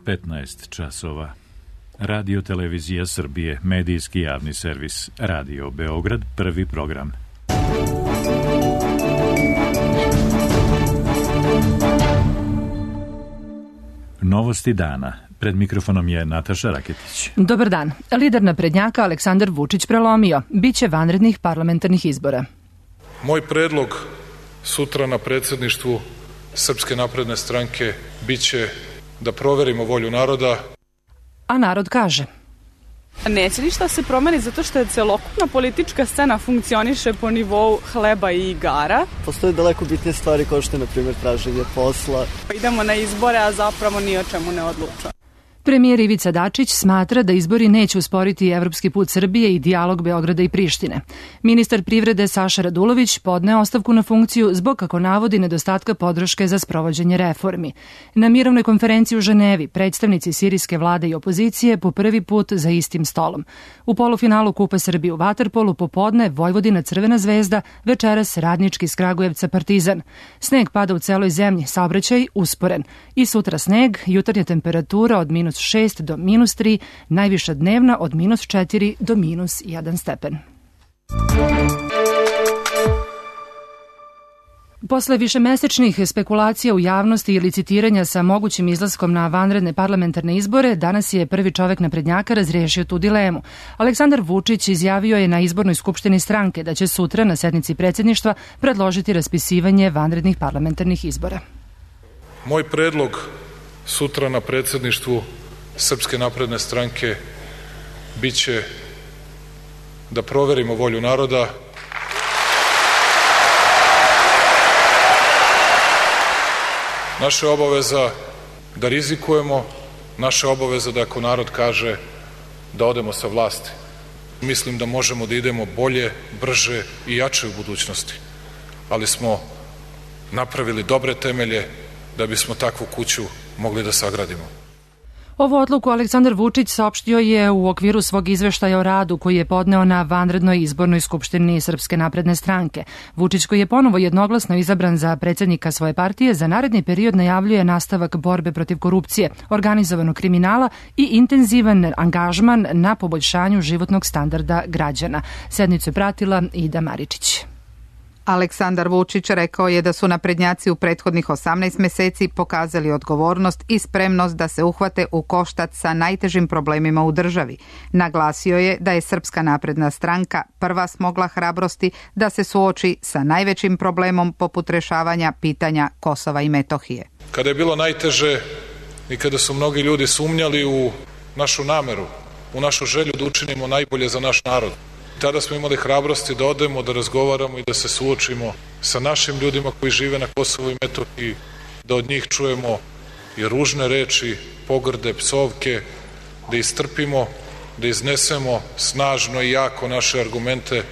15 časova. Radio Televizija Srbije, medijski javni servis, Radio Beograd, prvi program. Novosti dana. Pred mikrofonom je Nataša Raketić. Dobar dan. Lider naprednjaka Aleksandar Vučić prelomio. Biće vanrednih parlamentarnih izbora. Moj predlog sutra na predsjedništvu Srpske napredne stranke biće da proverimo volju naroda. A narod kaže: neće ništa se promeni zato što je celokupna politička scena funkcioniše po nivou hleba i igara. Postoje daleko bitnije stvari kao što je, na primjer, traženje posla. Idemo na izbore, a zapravo ni o čemu ne odlučujemo. Premijer Ivica Dačić smatra da izbori neće usporiti evropski put Srbije i dijalog Beograda i Prištine. Ministar privrede Saša Radulović podneo ostavku na funkciju zbog, kako navodi, nedostatka podrške za sprovođenje reformi. Na mirovnoj konferenciji u Ženevi predstavnici sirijske vlade i opozicije po prvi put za istim stolom. U polufinalu Kupa Srbije u vaterpolu popodne Vojvodina Crvena zvezda, večeras Radnički iz Kragujevca Partizan. Sneg pada u celoj zemlji, saobraćaj usporen. I sutra sneg, jutarnja temperatura od -6 do -3, najviša dnevna od -4 do -1 stepen. Posle višemesečnih spekulacija u javnosti i licitiranja sa mogućim izlaskom na vanredne parlamentarne izbore, danas je prvi čovek naprednjaka razrešio tu dilemu. Aleksandar Vučić izjavio je na izbornoj skupštini stranke da će sutra na sednici predsjedništva predložiti raspisivanje vanrednih parlamentarnih izbora. Moj predlog sutra na predsjedništvu Srpske napredne stranke biće da proverimo volju naroda. Naša je obaveza da rizikujemo, naša je obaveza da ako narod kaže da odemo sa vlasti. Mislim da možemo da idemo bolje, brže i jače u budućnosti, ali smo napravili dobre temelje da bismo takvu kuću mogli da sagradimo. Ovu odluku Aleksandar Vučić saopštio je u okviru svog izveštaja o radu koji je podneo na vanrednoj izbornoj skupštini Srpske napredne stranke. Vučić, koji je ponovo jednoglasno izabran za predsjednika svoje partije, za naredni period najavljuje nastavak borbe protiv korupcije, organizovanog kriminala i intenzivan angažman na poboljšanju životnog standarda građana. Sednicu je pratila Ida Maričić. Aleksandar Vučić rekao je da su naprednjaci u prethodnih 18 meseci pokazali odgovornost i spremnost da se uhvate u koštac sa najtežim problemima u državi. Naglasio je da je Srpska napredna stranka prva smogla hrabrosti da se suoči sa najvećim problemom poput rešavanja pitanja Kosova i Metohije. Kada je bilo najteže i kada su mnogi ljudi sumnjali u našu nameru, u našu želju da učinimo najbolje za naš narod, tada smo imali hrabrosti da odemo, da razgovaramo i da se suočimo sa našim ljudima koji žive na Kosovu i Metohiji, da od njih čujemo i ružne reči, pogrde, psovke, da istrpimo, da iznesemo snažno i jako naše argumente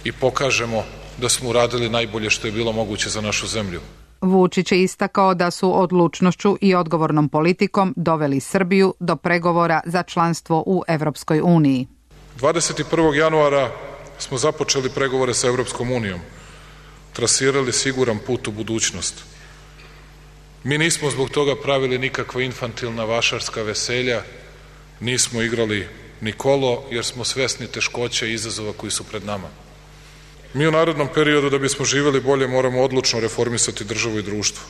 i pokažemo da smo uradili najbolje što je bilo moguće za našu zemlju. Vučić je istakao da su odlučnošću i odgovornom politikom doveli Srbiju do pregovora za članstvo u Evropskoj uniji. 21. januara smo započeli pregovore sa Evropskom unijom, trasirali siguran put u budućnost. Mi nismo zbog toga pravili nikakva infantilna vašarska veselja, nismo igrali ni kolo, jer smo svesni teškoća i izazova koji su pred nama. Mi u narednom periodu, da bismo živjeli bolje, moramo odlučno reformisati državu i društvo,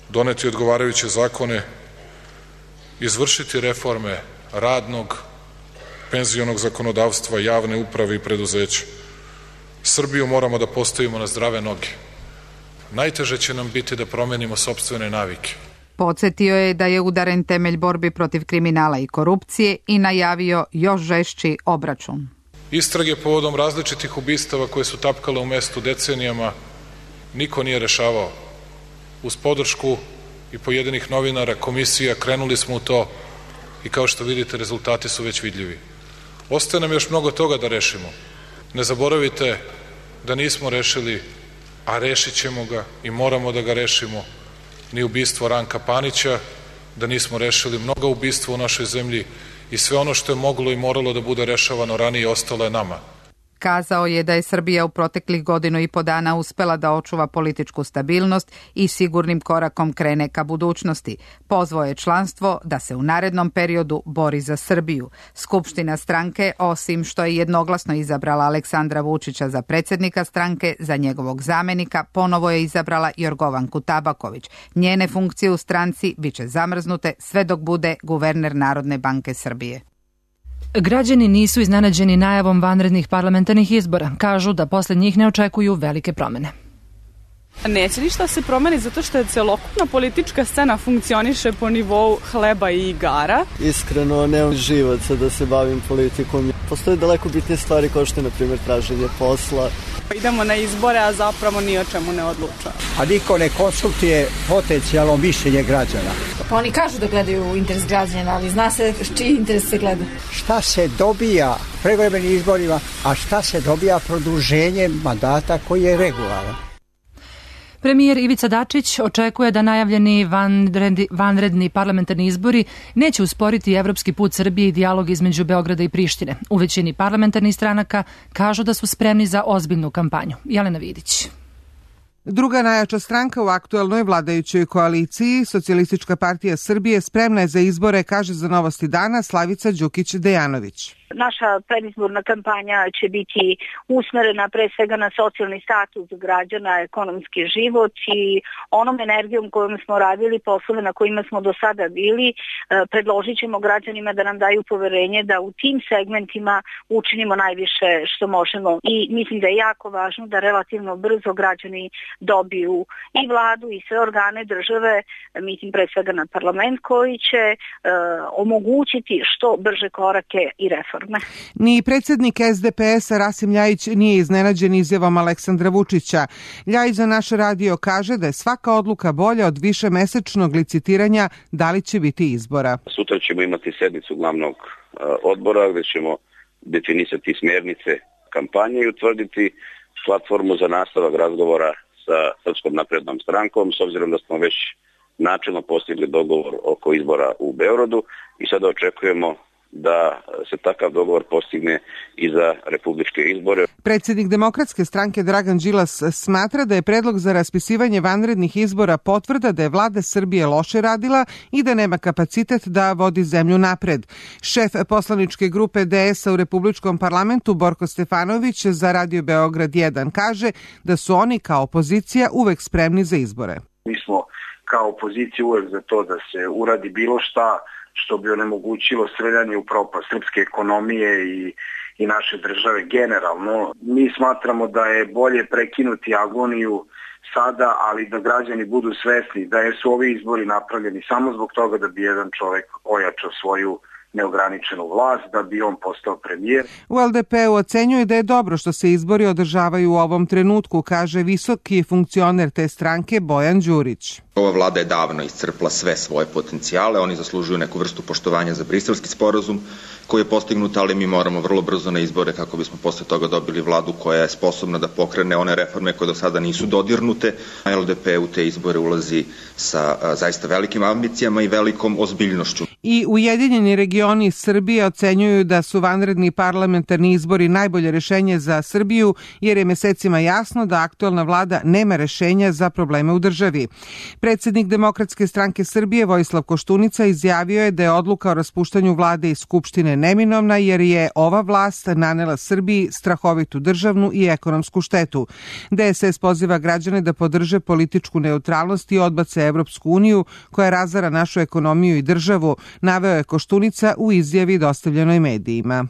doneti odgovarajuće zakone, izvršiti reforme radnog, penzionog zakonodavstva, javne uprave i preduzeća. Srbiju moramo da postavimo na zdrave noge. Najteže će nam biti da promenimo sopstvene navike. Podsjetio je da je udaren temelj borbi protiv kriminala i korupcije i najavio još žešći obračun. Istrage povodom različitih ubistava koje su tapkale u mestu decenijama niko nije rešavao. Uz podršku i pojedinih novinara, komisija, krenuli smo u to i kao što vidite rezultati su već vidljivi. Ostaje nam još mnogo toga da rešimo. Ne zaboravite da nismo rešili, a rešit ćemo ga i moramo da ga rešimo, ni ubistvo Ranka Panića, da nismo rešili mnoga ubistva u našoj zemlji i sve ono što je moglo i moralo da bude rešavano ranije ostalo je nama. Kazao je da je Srbija u proteklih 1,5 dana uspela da očuva političku stabilnost i sigurnim korakom krene ka budućnosti. Pozvao je članstvo da se u narednom periodu bori za Srbiju. Skupština stranke, osim što je jednoglasno izabrala Aleksandra Vučića za predsjednika stranke, za njegovog zamenika ponovo je izabrala Jorgovanku Tabaković. Njene funkcije u stranci biće zamrznute sve dok bude guverner Narodne banke Srbije. Građani nisu iznenađeni najavom vanrednih parlamentarnih izbora. Kažu da posle njih ne očekuju velike promene. Neće ništa se promeni zato što je celokupna politička scena funkcioniše po nivou hleba i igara. Iskreno, nemam živaca da se bavim politikom. Postoje daleko bitnije stvari kao što je, na primjer, traženje posla. Idemo na izbore, a zapravo ni o čemu ne odlučujemo. A niko ne konsultuje potencijalno mišljenje građana. Pa oni kažu da gledaju interes građana, ali zna se čiji interes se gleda. Šta se dobija prevremenim izborima, a šta se dobija produženjem mandata koji je regularan? Premijer Ivica Dačić očekuje da najavljeni vanredni parlamentarni izbori neće usporiti evropski put Srbije i dijalog između Beograda i Prištine. U većini parlamentarnih stranaka kažu da su spremni za ozbiljnu kampanju. Jelena Vidić. Druga najjača stranka u aktuelnoj vladajućoj koaliciji, Socijalistička partija Srbije, spremna je za izbore, kaže za Novosti dana Slavica Đukić-Dejanović. Naša predizborna kampanja će biti usmerena pre svega na socijalni status građana, ekonomski život i onom energijom kojom smo radili poslove na kojima smo do sada bili, predložit ćemo građanima da nam daju poverenje da u tim segmentima učinimo najviše što možemo. I mislim da je jako važno da relativno brzo građani dobiju i vladu i sve organe države, mislim pre svega na parlament koji će omogućiti što brže korake i reforme. Ni predsjednik SDP-a Rasim Ljajić nije iznenađen izjavom Aleksandra Vučića. Ljajić za naš radio kaže da je svaka odluka bolja od višemesečnog licitiranja da li će biti izbora. Sutra ćemo imati sednicu glavnog odbora gdje ćemo definisati smjernice kampanje i utvrditi platformu za nastavak razgovora sa Srpskom naprednom strankom, s obzirom da smo već načelno postigli dogovor oko izbora u Beogradu i sada očekujemo da se takav dogovor postigne i za republičke izbore. Predsjednik Demokratske stranke Dragan Đilas smatra da je predlog za raspisivanje vanrednih izbora potvrda da je vlada Srbije loše radila i da nema kapacitet da vodi zemlju napred. Šef poslaničke grupe DS-a u Republičkom parlamentu Borko Stefanović za Radio Beograd 1 kaže da su oni kao opozicija uvek spremni za izbore. Mi smo kao opozicija uvek za to da se uradi bilo šta što bi onemogućilo streljanje u propast srpske ekonomije i naše države generalno. Mi smatramo da je bolje prekinuti agoniju sada, ali da građani budu svesni da su ovi izbori napravljeni samo zbog toga da bi jedan čovjek ojačao svoju neograničenu vlast, da bi on postao premijer. U LDP-u ocenjuje da je dobro što se izbori održavaju u ovom trenutku, kaže visoki funkcioner te stranke Bojan Đurić. Ova vlada je davno iscrpla sve svoje potencijale, oni zaslužuju neku vrstu poštovanja za Briselski sporazum koji je postignut, ali mi moramo vrlo brzo na izbore kako bismo posle toga dobili vladu koja je sposobna da pokrene one reforme koje do sada nisu dodirnute. LDP u te izbore ulazi sa zaista velikim ambicijama i velikom ozbiljnošću. I Ujedinjeni regioni Srbije ocenjuju da su vanredni parlamentarni izbori najbolje rešenje za Srbiju, jer je mesecima jasno da aktuelna vlada nema rešenja za probleme u državi. Predsjednik Demokratske stranke Srbije Vojislav Koštunica izjavio je da je odluka o raspuštanju vlade i skupštine neminovna jer je ova vlast nanela Srbiji strahovitu državnu i ekonomsku štetu. DSS poziva građane da podrže političku neutralnost i odbace Evropsku uniju koja razara našu ekonomiju i državu, naveo je Koštunica u izjavi dostavljenoj medijima.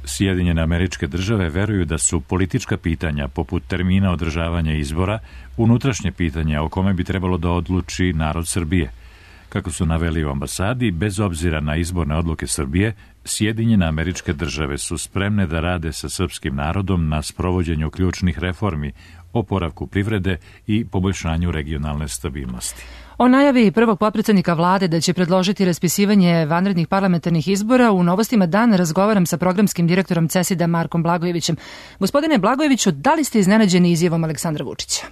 Sjedinjene Američke Države veruju da su politička pitanja poput termina održavanja izbora unutrašnje pitanja o kome bi trebalo da odluči narod Srbije. Kako su naveli u ambasadi, bez obzira na izborne odluke Srbije, Sjedinjene Američke Države su spremne da rade sa srpskim narodom na sprovođenju ključnih reformi, oporavku privrede i poboljšanju regionalne stabilnosti. O najavi prvog potpredsednika vlade da će predložiti raspisivanje vanrednih parlamentarnih izbora u Novostima dan razgovaram sa programskim direktorom CESID-a Markom Blagojevićem. Gospodine Blagojeviću, da li ste iznenađeni izjavom Aleksandra Vučića?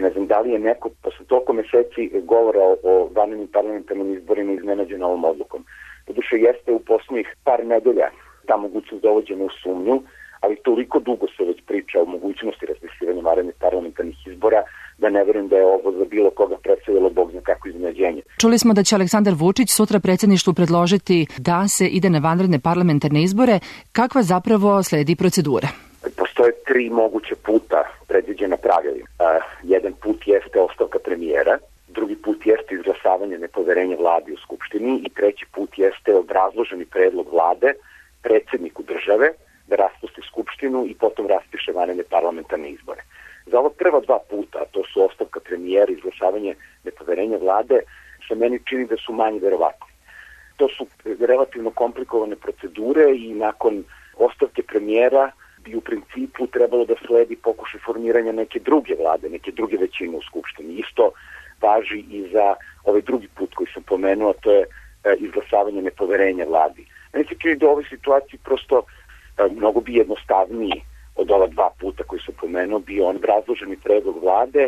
Ne znam da li je neko posle toliko meseci govora o vanrednim parlamentarnim izborima iznenađen ovom odlukom. Doduše jeste u poslednjih par nedelja ta mogućnost dovođena u sumnju, ali toliko dugo se već priča o mogućnosti raspisivanja vanrednih parlamentarnih izbora da ne verujem da je ovo za bilo koga predstavilo bog zna kako iznenađenje. Čuli smo da će Aleksandar Vučić sutra predsjedništvu predložiti da se ide na vanredne parlamentarne izbore. Kakva zapravo sledi procedura? Postoje 3 moguća puta predviđena pravilima. Jedan put jeste ostavka premijera, drugi put jeste izglasavanje nepoverenja vladi u Skupštini i treći put jeste obrazloženi predlog vlade predsjedniku države da raspusti Skupštinu i potom raspiše vanredne parlamentarne izbore. Za ova prva 2 puta, to su ostavka premijera i izglasavanje nepoverenja vlade, se meni čini da su manje verovatni. To su relativno komplikovane procedure i nakon ostavke premijera bi u principu trebalo da sledi pokušaj formiranja neke druge vlade, neke druge većine u Skupštini. Isto važi i za ovaj drugi put koji sam pomenuo, to je izglasavanje nepoverenja vladi. Meni se čini da u ovoj situaciji prosto mnogo bi jednostavniji od ova 2 puta koji sam pomenuo bio on razloženi predlog vlade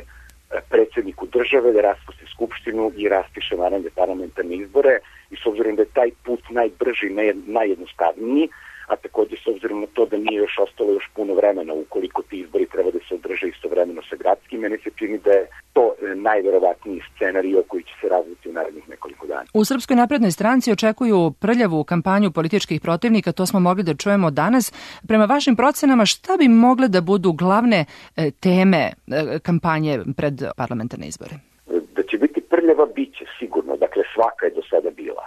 predsjedniku države da raspusti Skupštinu i raspiše vanredne parlamentarne izbore i s obzirom da je taj put najbrži, najjednostavniji, a također s obzirom na to da nije još ostalo još puno vremena ukoliko ti izbori treba da se održe istovremeno sa gradskim, meni se čini da je to najverovatniji scenario koji će se razviti u narednih nekoliko dana. U Srpskoj naprednoj stranci očekuju prljavu kampanju političkih protivnika, to smo mogli da čujemo danas. Prema vašim procenama, šta bi mogle da budu glavne teme kampanje pred parlamentarne izbore? Da će biti prljava, bit će sigurno, dakle svaka je do sada bila.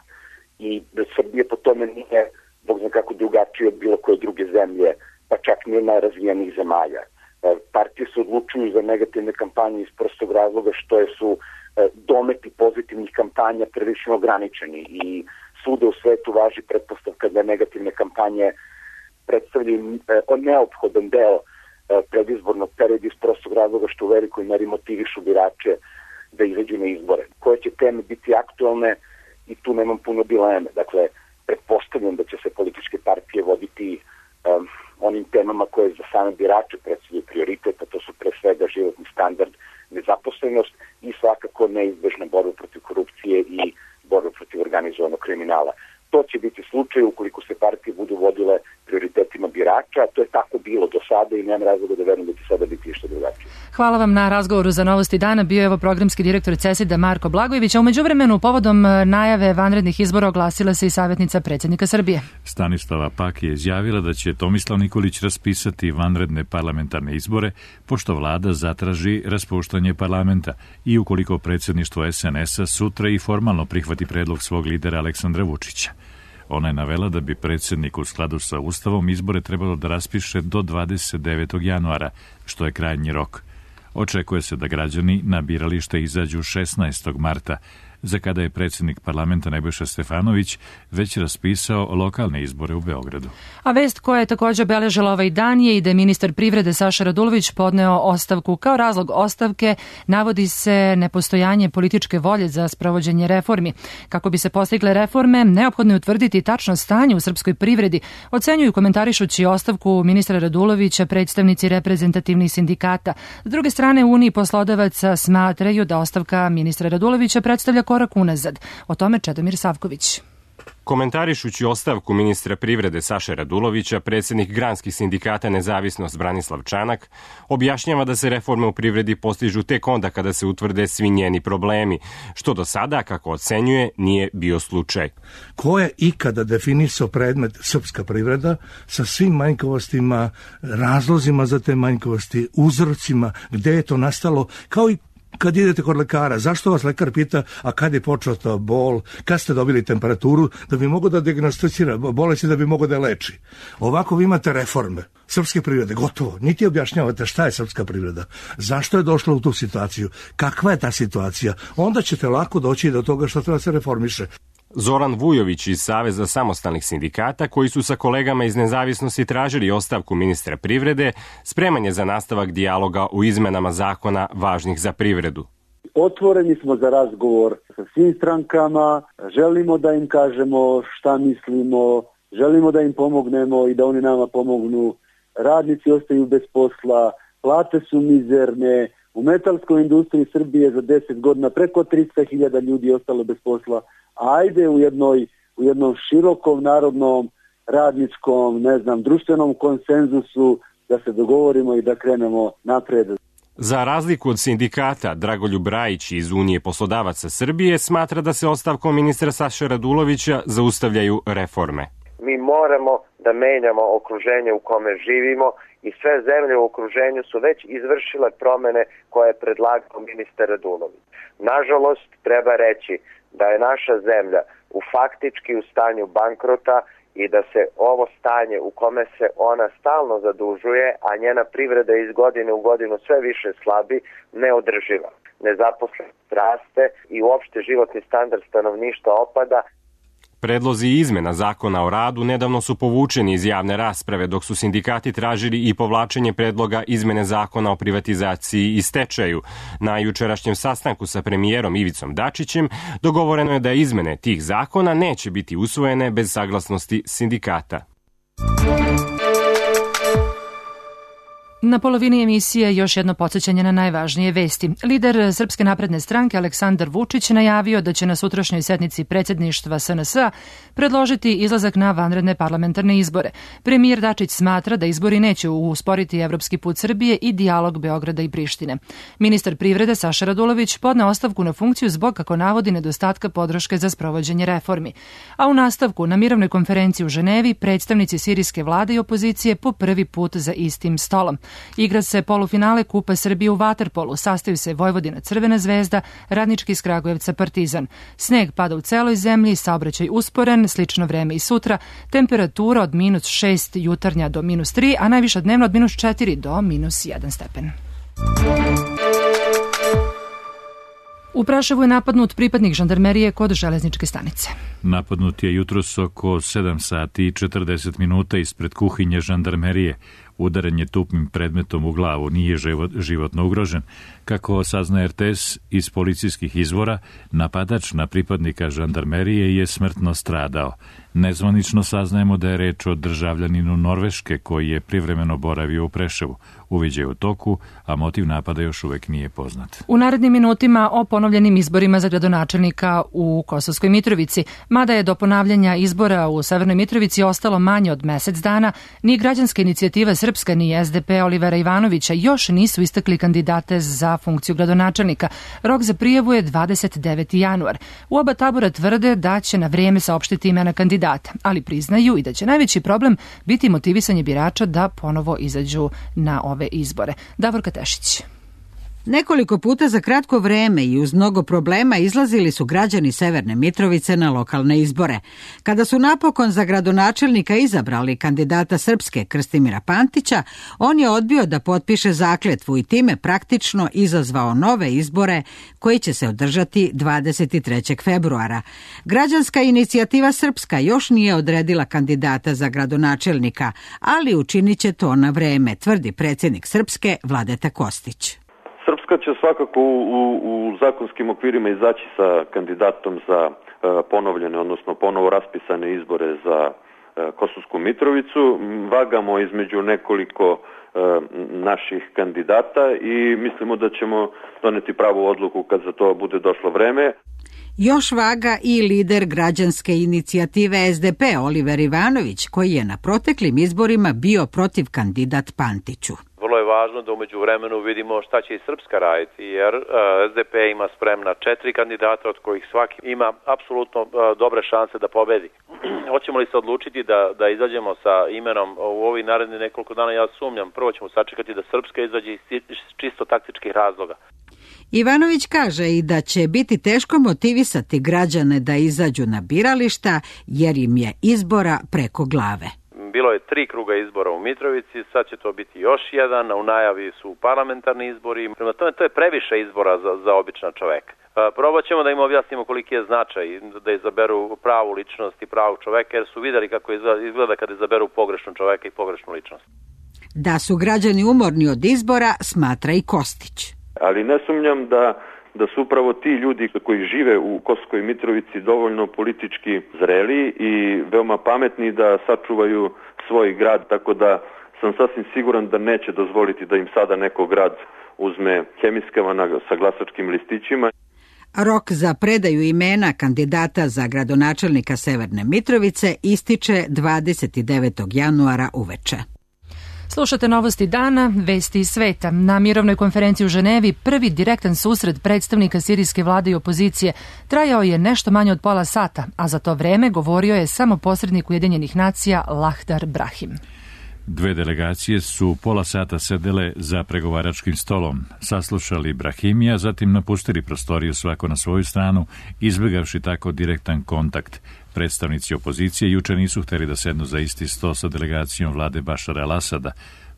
I da Srbija po tome nije bog zna kako drugačije od bilo koje druge zemlje, pa čak ni od najrazvijenijih zemalja. Partije se odlučuju za negativne kampanje iz prostog razloga što su dometi pozitivnih kampanja prilično ograničeni i svuda u svetu važi pretpostavka da negativne kampanje predstavljaju neophodan deo predizbornog perioda iz prostog razloga što u velikoj meri motivišu birače da izađu na izbore. Koje će teme biti aktualne i tu nemam puno dileme. Dakle, pretpostavljam da će se političke partije voditi onim temama koje za same birače predstavljaju prioritet, a to su pre svega životni standard, nezaposlenost i svakako neizbežna borba protiv korupcije i borba protiv organizovanog kriminala. To će biti slučaj ukoliko se partije budu vodile prioritetima birača, a to je tako bilo do sada i nema razloga da verujem da će sada biti što drugačije. Hvala vam na razgovoru za Novosti dana. Bio je ovo programski direktor CESID-a Marko Blagojević, a u međuvremenu povodom najave vanrednih izbora oglasila se i savjetnica predsjednika Srbije. Stanislava Pak je izjavila da će Tomislav Nikolić raspisati vanredne parlamentarne izbore, pošto vlada zatraži raspuštanje parlamenta i ukoliko predsjedništvo SNS-a sutra i formalno prihvati predlog svog lidera Aleksandra Vučića. Ona je navela da bi predsjednik u skladu sa Ustavom izbore trebalo da raspiše do 29. januara, što je krajnji rok. Očekuje se da građani na biralište izađu 16. marta, za kada je predsjednik parlamenta Nebojša Stefanović već raspisao lokalne izbore u Beogradu. A vest koja je također obeležila ovaj dan je i da je ministar privrede Saša Radulović podneo ostavku. Kao razlog ostavke navodi se nepostojanje političke volje za sprovođenje reformi. Kako bi se postigle reforme, neophodno je utvrditi tačno stanje u srpskoj privredi, ocenjuju komentarišući ostavku ministra Radulovića predstavnici reprezentativnih sindikata. S druge strane, u Uniji poslodavaca smatraju da ostavka ministra Radulovića predstavlja korak unazad. O tome Čedomir Savković. Komentarišući ostavku ministra privrede Saše Radulovića, predsjednik granskih sindikata Nezavisnost Branislav Čanak objašnjava da se reforme u privredi postižu tek onda kada se utvrde svi njeni problemi, što do sada, kako ocenjuje, nije bio slučaj. Ko je ikada definisao predmet srpska privreda sa svim manjkavostima, razlozima za te manjkavosti, uzrocima, gde je to nastalo, kao i kad idete kod lekara, zašto vas lekar pita, a kad je počeo to bol, kad ste dobili temperaturu, da bi mogo da dijagnosticira bolesti, da bi mogo da je leči. Ovako vi imate reforme srpske privrede, gotovo. Niti objašnjavate šta je srpska privreda, zašto je došla u tu situaciju, kakva je ta situacija. Onda ćete lako doći do toga što treba se reformiše. Zoran Vujović iz Saveza samostalnih sindikata, koji su sa kolegama iz Nezavisnosti tražili ostavku ministra privrede, spreman je za nastavak dijaloga u izmenama zakona važnih za privredu. Otvoreni smo za razgovor sa svim strankama, želimo da im kažemo šta mislimo, želimo da im pomognemo i da oni nama pomognu. Radnici ostaju bez posla, plate su mizerne, u metalskoj industriji Srbije za 10 godina preko 300.000 ljudi je ostalo bez posla. Ajde u jednom širokom narodnom radničkom, društvenom konsenzusu, da se dogovorimo i da krenemo napred. Za razliku od sindikata, Dragoljub Rajić iz Unije poslodavaca Srbije smatra da se ostavkom ministra Saše Radulovića zaustavljaju reforme. Mi moramo da menjamo okruženje u kome živimo i sve zemlje u okruženju su već izvršile promene koje je predlagao ministar Radulović. Nažalost, treba reći da je naša zemlja faktički u stanju bankrota i da se ovo stanje u kome se ona stalno zadužuje, a njena privreda iz godine u godinu sve više slabi, neodrživa. Nezaposlenost raste i uopšte životni standard stanovništva opada. Predlozi izmena zakona o radu nedavno su povučeni iz javne rasprave, dok su sindikati tražili i povlačenje predloga izmene zakona o privatizaciji i stečaju. Na jučerašnjem sastanku sa premijerom Ivicom Dačićem dogovoreno je da izmene tih zakona neće biti usvojene bez saglasnosti sindikata. Na polovini emisije još jedno podsjećanje na najvažnije vesti. Lider Srpske napredne stranke Aleksandar Vučić najavio da će na sutrašnjoj sednici predsjedništva SNS-a predložiti izlazak na vanredne parlamentarne izbore. Premijer Dačić smatra da izbori neće usporiti evropski put Srbije i dijalog Beograda i Prištine. Ministar privrede Saša Radulović podneo ostavku na funkciju zbog, kako navodi, nedostatka podrške za sprovođenje reformi. A u nastavku, na mirovnoj konferenciji u Ženevi, predstavnici sirijske vlade i opozicije po prvi put za istim stolom. Igra se polufinale Kupa Srbije u vaterpolu, sastaju se Vojvodina Crvena zvezda, Radnički iz Kragujevca Partizan. Sneg pada u celoj zemlji, saobraćaj usporen, slično vreme i sutra, temperatura od -6 jutarnja do -3, a najviša dnevno od -4 do -1 stepen. U Praševu je napadnut pripadnik žandarmerije kod železničke stanice. Napadnut je jutros oko 7 sati i 40 minuta ispred kuhinje žandarmerije. Udaren je tupim predmetom u glavu, nije životno ugrožen. Kako saznaje RTS iz policijskih izvora, napadač na pripadnika žandarmerije je smrtno stradao. Nezvanično saznajemo da je reč o državljaninu Norveške koji je privremeno boravio u Preševu. Uviđaj u toku, a motiv napada još uvek nije poznat. U narednim minutima o ponovljenim izborima za gradonačelnika u Kosovskoj Mitrovici. Mada je do ponavljanja izbora u Severnoj Mitrovici ostalo manje od mesec dana, ni građanska inicijativa Srpska ni SDP Olivera Ivanovića još nisu istakli kandidate za funkciju gradonačelnika. Rok za prijavu je 29. januar. U oba tabora tvrde da će na vrijeme saopštiti imena kandidata, ali priznaju i da će najveći problem biti motivisanje birača da ponovo izađu na ove izbore. Davorka Tešić. Nekoliko puta za kratko vreme i uz mnogo problema izlazili su građani Severne Mitrovice na lokalne izbore. Kada su napokon za gradonačelnika izabrali kandidata Srpske Krstimira Pantića, on je odbio da potpiše zakletvu i time praktično izazvao nove izbore koji će se održati 23. februara. Građanska inicijativa Srpska još nije odredila kandidata za gradonačelnika, ali učinit će to na vreme, tvrdi predsjednik Srpske Vladeta Kostić. Srpska će svakako u zakonskim okvirima izaći sa kandidatom za ponovljene, odnosno ponovo raspisane izbore za Kosovsku Mitrovicu. Vagamo između nekoliko naših kandidata i mislimo da ćemo doneti pravu odluku kad za to bude došlo vreme. Još vaga i lider građanske inicijative SDP Oliver Ivanović, koji je na proteklim izborima bio protiv kandidat Pantiću. Vrlo je važno da umeđu vremenu vidimo šta će i Srpska raditi, jer SDP ima spremna 4 kandidata, od kojih svaki ima apsolutno dobre šanse da pobedi. Hoćemo li se odlučiti da izađemo sa imenom u ovih narednih nekoliko dana? Ja sumnjam. Prvo ćemo sačekati da Srpska izađe iz čisto taktičkih razloga. Ivanović kaže i da će biti teško motivisati građane da izađu na birališta, jer im je izbora preko glave. Bilo je 3 kruga izbora u Mitrovici, sad će to biti još jedan, u najavi su parlamentarni izbori. Prema tome, to je previše izbora za običan čoveka. Probat ćemo da im objasnimo koliki je značaj da izaberu pravu ličnost i pravog čoveka, jer su videli kako izgleda kad izaberu pogrešnog čoveka i pogrešnu ličnost. Da su građani umorni od izbora, smatra i Kostić. Ali ne sumnjam da su upravo ti ljudi koji žive u Kosovskoj Mitrovici dovoljno politički zreli i veoma pametni da sačuvaju svoj grad, tako da sam sasvim siguran da neće dozvoliti da im sada neko grad uzme hemiskama sa glasačkim listićima. Rok za predaju imena kandidata za gradonačelnika Severne Mitrovice ističe 29. januara uveče. Slušate novosti dana, vesti iz sveta. Na mirovnoj konferenciji u Ženevi prvi direktan susret predstavnika sirijske vlade i opozicije trajao je nešto manje od pola sata, a za to vreme govorio je samo posrednik Ujedinjenih nacija Lahdar Brahim. Dve delegacije su pola sata sedele za pregovaračkim stolom, saslušali Brahimija, zatim napustili prostoriju svako na svoju stranu, izbjegavši tako direktan kontakt. Predstavnici opozicije juče nisu htjeli da sednu za isti sto sa delegacijom vlade Bašara al-Asada,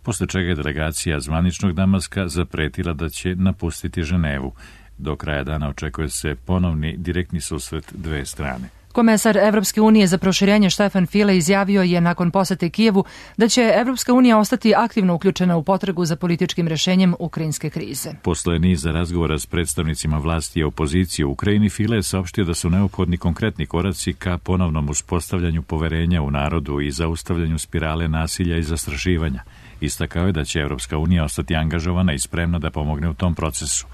posle čega je delegacija zvaničnog Damaska zapretila da će napustiti Ženevu. Do kraja dana očekuje se ponovni direktni susret dve strane. Komesar Evropske unije za proširenje Štefan File izjavio je nakon posete Kijevu da će Evropska unija ostati aktivno uključena u potragu za političkim rješenjem ukrajinske krize. Posle niza razgovora s predstavnicima vlasti i opozicije u Ukrajini, File je saopštio da su neophodni konkretni koraci ka ponovnom uspostavljanju poverenja u narodu i zaustavljanju spirale nasilja i zastrašivanja. Istakao je da će Evropska unija ostati angažovana i spremna da pomogne u tom procesu.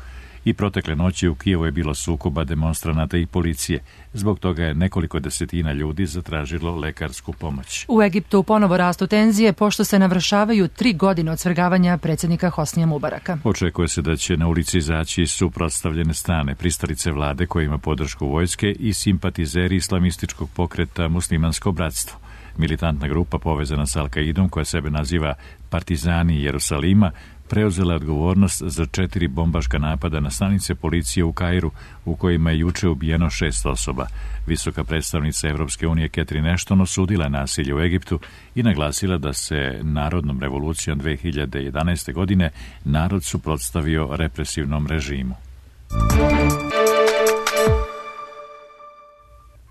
I protekle noći u Kijevu je bilo sukoba demonstranata i policije. Zbog toga je nekoliko desetina ljudi zatražilo lekarsku pomoć. U Egiptu ponovo rastu tenzije pošto se navršavaju 3 godine od svrgavanja predsjednika Hosnija Mubaraka. Očekuje se da će na ulici izaći suprotstavljene strane, pristalice vlade koje ima podršku vojske i simpatizeri islamističkog pokreta Muslimansko bratstvo. Militantna grupa povezana s Al-Kaidom, koja sebe naziva Partizani Jerusalima, preuzela odgovornost za 4 bombaška napada na stanice policije u Kairu, u kojima je juče ubijeno 6 osoba. Visoka predstavnica Evropske unije Catherine Ashton osudila nasilje u Egiptu i naglasila da se narodnom revolucijom 2011. godine narod suprotstavio represivnom režimu.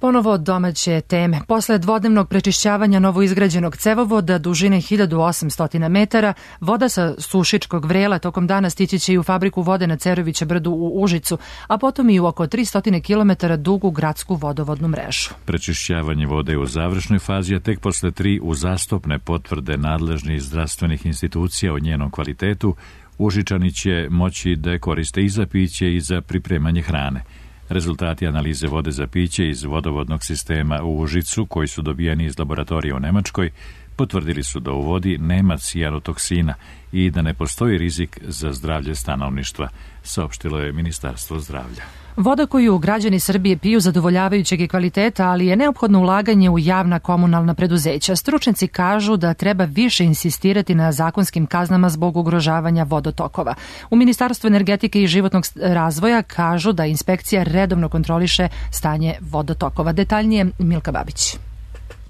Ponovo domaće teme. Posle dvodnevnog prečišćavanja novoizgrađenog cevovoda dužine 1800 metara, voda sa Sušičkog vrela tokom dana stići će i u fabriku vode na Cerovića brdu u Užicu, a potom i u oko 300 km dugu gradsku vodovodnu mrežu. Prečišćavanje vode je u završnoj fazi, a tek posle 3 uzastopne potvrde nadležnih zdravstvenih institucija o njenom kvalitetu, Užičani će moći da je koriste i za piće i za pripremanje hrane. Rezultati analize vode za piće iz vodovodnog sistema u Užicu, koji su dobijeni iz laboratorija u Nemačkoj, potvrdili su da u vodi nema cijanotoksina i da ne postoji rizik za zdravlje stanovništva, saopštilo je Ministarstvo zdravlja. Voda koju građani Srbije piju zadovoljavajućeg je kvaliteta, ali je neophodno ulaganje u javna komunalna preduzeća. Stručnjaci kažu da treba više insistirati na zakonskim kaznama zbog ugrožavanja vodotokova. U Ministarstvu energetike i životnog razvoja kažu da inspekcija redovno kontroliše stanje vodotokova. Detaljnije Milka Babić.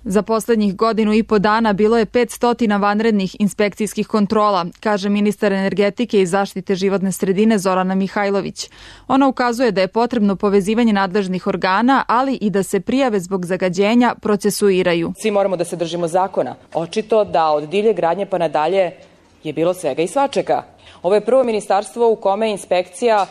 Za poslednjih 1,5 dana bilo je 500 vanrednih inspekcijskih kontrola, kaže ministar energetike i zaštite životne sredine Zorana Mihajlović. Ona ukazuje da je potrebno povezivanje nadležnih organa, ali i da se prijave zbog zagađenja procesuiraju. Svi moramo da se držimo zakona. Očito da od divlje gradnje pa nadalje je bilo svega i svačega. Ovo je prvo ministarstvo u kome inspekcija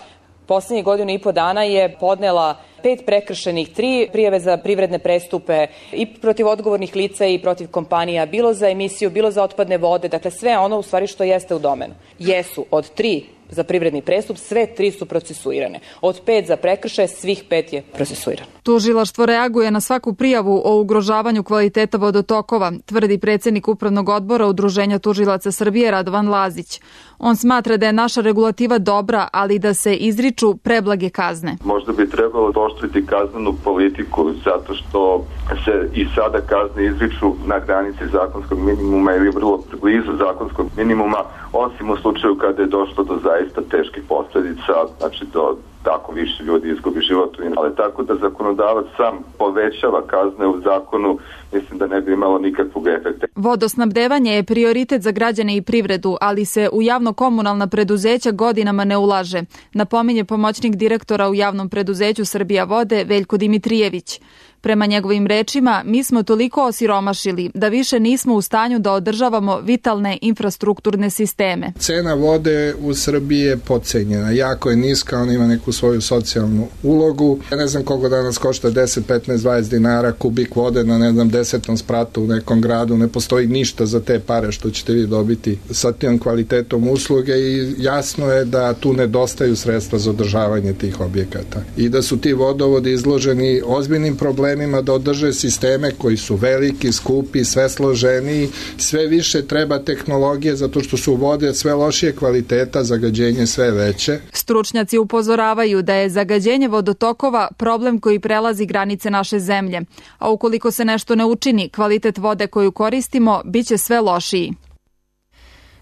poslednjih 1,5 dana je podnela 5 prekršenih, 3 prijave za privredne prestupe i protiv odgovornih lica i protiv kompanija, bilo za emisiju, bilo za otpadne vode, dakle sve ono u stvari što jeste u domenu. Jesu od 3 za privredni prestup, sve 3 su procesuirane. Od 5 za prekršaje, svih 5 je procesuirano. Tužilaštvo reaguje na svaku prijavu o ugrožavanju kvaliteta vodotokova, tvrdi predsjednik Upravnog odbora Udruženja tužilaca Srbije Radovan Lazić. On smatra da je naša regulativa dobra, ali da se izriču preblage kazne. Možda bi trebalo oštriti kaznenu politiku, zato što se i sada kazne izriču na granici zakonskog minimuma ili vrlo blizu zakonskog minimuma, osim u slučaju kada je došlo do zaista teških posljedica, znači do tako više ljudi izgubi život. Ali tako da zakonodavac sam povećava kazne u zakonu, mislim da ne bi imalo nikakvog efekta. Vodosnabdevanje je prioritet za građane i privredu, ali se u javno-komunalna preduzeća godinama ne ulaže, napominje pomoćnik direktora u javnom preduzeću Srbija vode Veljko Dimitrijević. Prema njegovim rečima, mi smo toliko osiromašili da više nismo u stanju da održavamo vitalne infrastrukturne sisteme. Cena vode u Srbiji je podcenjena, jako je niska, ona ima neku svoju socijalnu ulogu. Ja ne znam koliko danas košta 10, 15, 20 dinara kubik vode na 10. spratu u nekom gradu. Ne postoji ništa za te pare što ćete vi dobiti sa tim kvalitetom usluge i jasno je da tu nedostaju sredstva za održavanje tih objekata i da su ti vodovodi izloženi ozbiljnim problemima da održe sisteme koji su veliki, skupi, sve složeniji, sve više treba tehnologije zato što su vode sve lošije kvaliteta, zagađenje sve veće. Stručnjaci upozoravaju da je zagađenje vodotokova problem koji prelazi granice naše zemlje, a ukoliko se nešto ne učini, kvalitet vode koju koristimo biće sve lošiji.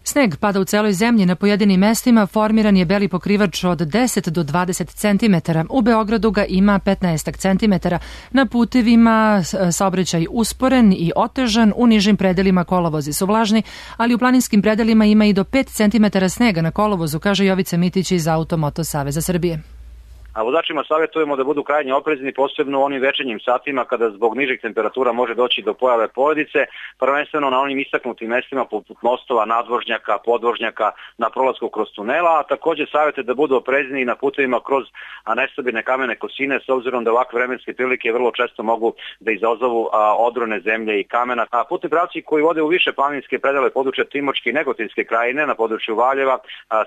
Sneg pada u celoj zemlji, na pojedinim mestima formiran je beli pokrivač od 10 do 20 cm. U Beogradu ga ima 15 cm. Na putevima saobraćaj usporen i otežan, u nižim predelima kolovozi su vlažni, ali u planinskim predelima ima i do 5 cm snega na kolovozu, kaže Jovica Mitić iz Automoto Saveza Srbije. A vozačima savjetujemo da budu krajnje oprezni, posebno u onim večernjim satima kada zbog nižih temperatura može doći do pojave poledice, prvenstveno na onim istaknutim mestima poput mostova, nadvožnjaka, podvožnjaka, na prolasku kroz tunela, a također savjete da budu oprezni i na putevima kroz nestabilne kamene kosine, s obzirom da ovakve vremenske prilike vrlo često mogu da izazovu odrone zemlje i kamena. A putni pravci koji vode u više planinske predele područja Timočke i Negotinske krajine, na području Valjeva,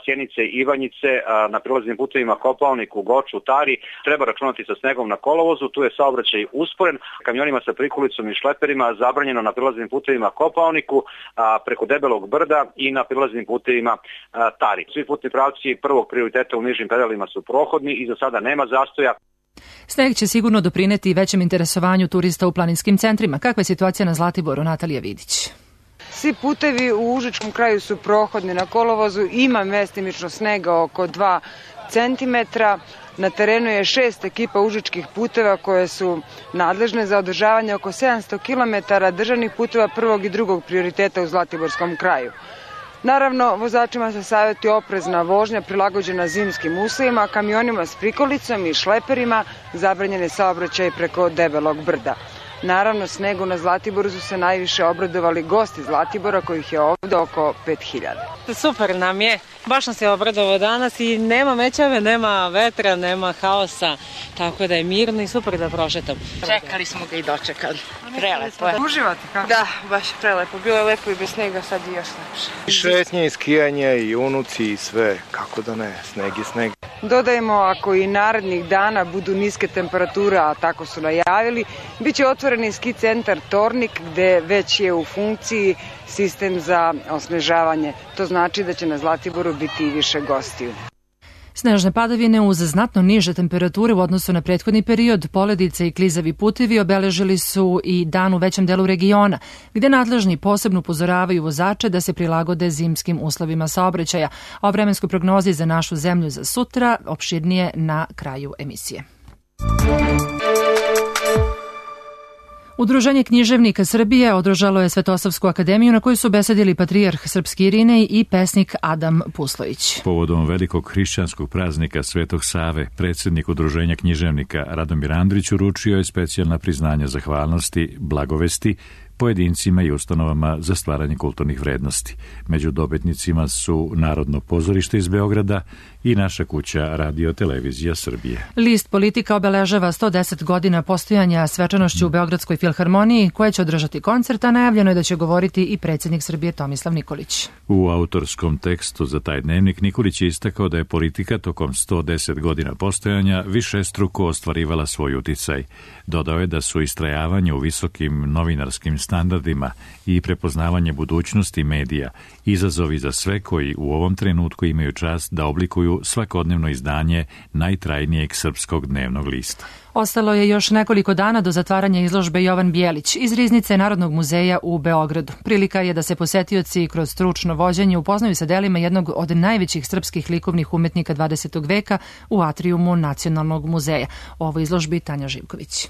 Sjenice i Ivanjice, na prilaznim putevima Kopaoniku, Goču, Tari, treba računati sa snegom na kolovozu, tu je saobraćaj usporen, kamionima sa prikolicom i šleperima zabranjeno na prilaznim putevima Kopaoniku, preko Debelog brda i na prilaznim putevima Tari. Svi putni pravci prvog prioriteta u nižim pedalima su prohodni i za sada nema zastoja. Sneg će sigurno doprineti većem interesovanju turista u planinskim centrima. Kakva je situacija na Zlatiboru, Natalija Vidić? Svi putevi u Užičkom kraju su prohodni, na kolovozu ima mestimično snega oko 2 centimetra. Na terenu je 6 ekipa užičkih puteva koje su nadležne za održavanje oko 700 km državnih puteva prvog i drugog prioriteta u Zlatiborskom kraju. Naravno, vozačima se savjetuje oprezna vožnja prilagođena zimskim uslovima, a kamionima s prikolicom i šleperima zabranjene saobraćaj preko Debelog brda. Naravno, snegu na Zlatiboru su se najviše obradovali gosti Zlatibora, kojih je ovde oko 5000. Super nam je, baš nam se obradovao danas i nema mećave, nema vetra, nema haosa, tako da je mirno i super da prošetam. Čekali smo ga i dočekali. Prelepo je. Uživate kako? Da, baš prelepo. Bilo je lepo i bez snega, sad i još lepše. I šetnje, i skijanje, i unuci, i sve. Kako da ne, sneg je sneg. Dodajemo, ako i narednih dana budu niske temperature, a tako su najavili, bit će otvoreni ski centar Tornik, gde već je u funkciji sistem za osnežavanje. To znači da će na Zlatiboru biti i više gostiju. Snežne padavine uz znatno niže temperature u odnosu na prethodni period, poledice i klizavi putevi obeležili su i dan u većem delu regiona, gde nadležni posebno upozoravaju vozače da se prilagode zimskim uslovima saobraćaja. O vremenskoj prognozi za našu zemlju za sutra opširnije na kraju emisije. Udruženje književnika Srbije održalo je Svetosavsku akademiju na kojoj su besedili patrijarh Srpski Irinej i pesnik Adam Puslović. Povodom velikog hrišćanskog praznika Svetog Save, predsjednik Udruženja književnika Radomir Andrić uručio je specijalna priznanja zahvalnosti, blagovesti pojedincima i ustanovama za stvaranje kulturnih vrednosti. Među dobitnicima su Narodno pozorište iz Beograda i Naša kuća Radio Televizija Srbije. List Politika obeležava 110 godina postojanja svečanošću u Beogradskoj filharmoniji, koja će održati koncert, a najavljeno je da će govoriti i predsjednik Srbije Tomislav Nikolić. U autorskom tekstu za taj dnevnik Nikolić je istakao da je politika tokom 110 godina postojanja višestruko ostvarivala svoj uticaj. Dodao je da su istrajavanje u visokim novinarskim standardima i prepoznavanje budućnosti medija izazovi za sve koji u ovom trenutku imaju čast da oblikuju svakodnevno izdanje najtrajnijeg srpskog dnevnog lista. Ostalo je još nekoliko dana do zatvaranja izložbe Jovan Bijelić iz Riznice Narodnog muzeja u Beogradu. Prilika je da se posetioci kroz stručno vođenje upoznaju sa delima jednog od najvećih srpskih likovnih umetnika 20. veka u atrijumu Nacionalnog muzeja. O ovoj izložbi Tanja Živković.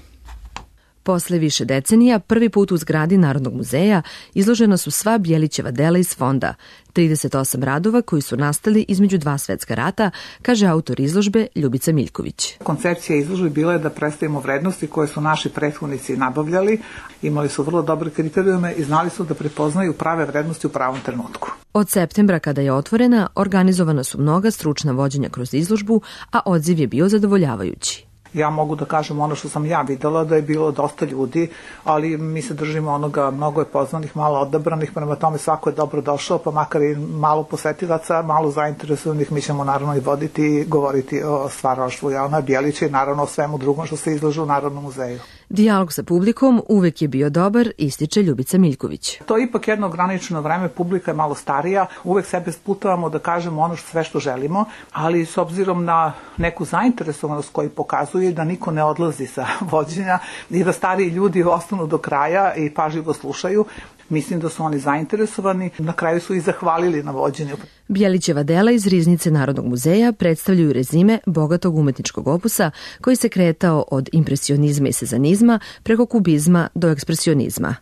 Posle više decenija, prvi put u zgradi Narodnog muzeja izložena su sva Bjelićeva dela iz fonda, 38 radova koji su nastali između 2 svetska rata, kaže autor izložbe Ljubica Miljković. Koncepcija izložbe bila je da predstavimo vrednosti koje su naši prethodnici nabavljali, imali su vrlo dobre kriterijume i znali su da prepoznaju prave vrednosti u pravom trenutku. Od septembra kada je otvorena, organizovana su mnoga stručna vođenja kroz izložbu, a odziv je bio zadovoljavajući. Ja mogu da kažem ono što sam ja videla, da je bilo dosta ljudi, ali mi se držimo onoga, mnogo je poznanih, malo odabranih, prema tome svako je dobro došao, pa makar i malo posetilaca, malo zainteresovanih, mi ćemo naravno i voditi i govoriti o stvaralaštvu Jovana Bjelića i naravno o svemu drugom što se izloži u Narodnom muzeju. Dijalog sa publikom uvek je bio dobar, ističe Ljubica Miljković. To je ipak jedno ograničeno vreme, publika je malo starija, uvek sebe sputavamo da kažemo ono sve što želimo, ali s obzirom na neku zainteresovanost koju pokazuje da niko ne odlazi sa vođenja i da stariji ljudi ostanu do kraja i pažljivo slušaju, mislim da su oni zainteresovani. Na kraju su i zahvalili na vođenju. Bjelićeva dela iz riznice Narodnog muzeja predstavljaju rezime bogatog umetničkog opusa koji se kretao od impresionizma i sezanizma preko kubizma do ekspresionizma.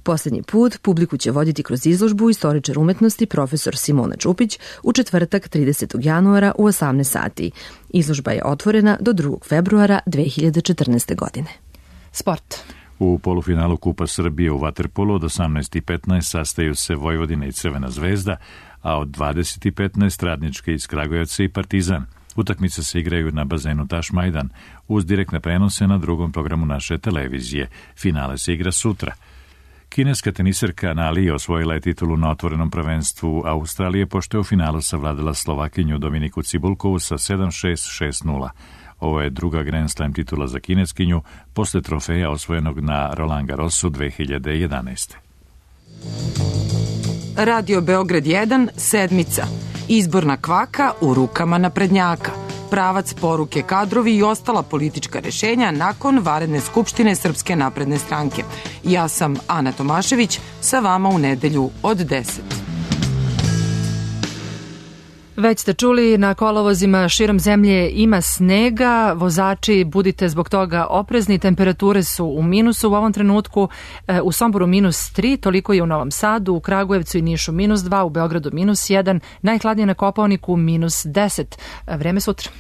Poslednji put publiku će voditi kroz izložbu istoričar umetnosti profesor Simona Čupić u četvrtak 30. januara u 18 sati. Izložba je otvorena do 2. februara 2014. godine. Sport. U polufinalu Kupa Srbije u vaterpolu od 18:15 sastaju se Vojvodina i Crvena zvezda, a od 20:15 Radnički iz Kragujevca i Partizan. Utakmice se igraju na bazenu Tašmajdan uz direktne prenose na drugom programu naše televizije. Finale se igra sutra. Kineska teniserka Nali osvojila je titulu na otvorenom prvenstvu Australije pošto je u finalu savladala Slovakinju Dominiku Cibulkovu sa 7-6, 6-0. Ovo je druga Grand Slam titula za kineskinju posle trofeja osvojenog na Roland Garrosu 2011. Radio Beograd 1, sedmica. Izborna kvaka u rukama naprednjaka. Pravac, poruke, kadrovi i ostala politička rešenja nakon vanredne skupštine Srpske napredne stranke. Ja sam Ana Tomašević, sa vama u nedelju od 10. Već ste čuli, na kolovozima širom zemlje ima snega, vozači budite zbog toga oprezni, temperature su u minusu u ovom trenutku, u Somboru -3, toliko je u Novom Sadu, u Kragujevcu i Nišu -2, u Beogradu -1, najhladnije na Kopaoniku -10. Vreme sutra.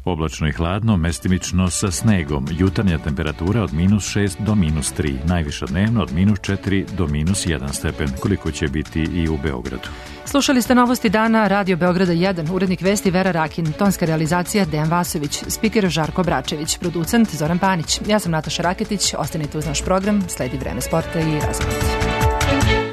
Oblačno i hladno, mestimično sa snegom. Jutarnja temperatura od -6 do -3, najviša dnevno od -4 do -1 stepen, koliko će biti i u Beogradu. Slušali ste novosti dana Radio Beograda 1, urednik vesti Vera Rakin, tonska realizacija Dejan Vasović, spiker Žarko Bračević, producent Zoran Panić. Ja sam Nataša Raketić, ostanite uz naš program, sledi Vreme sporta i razgovor.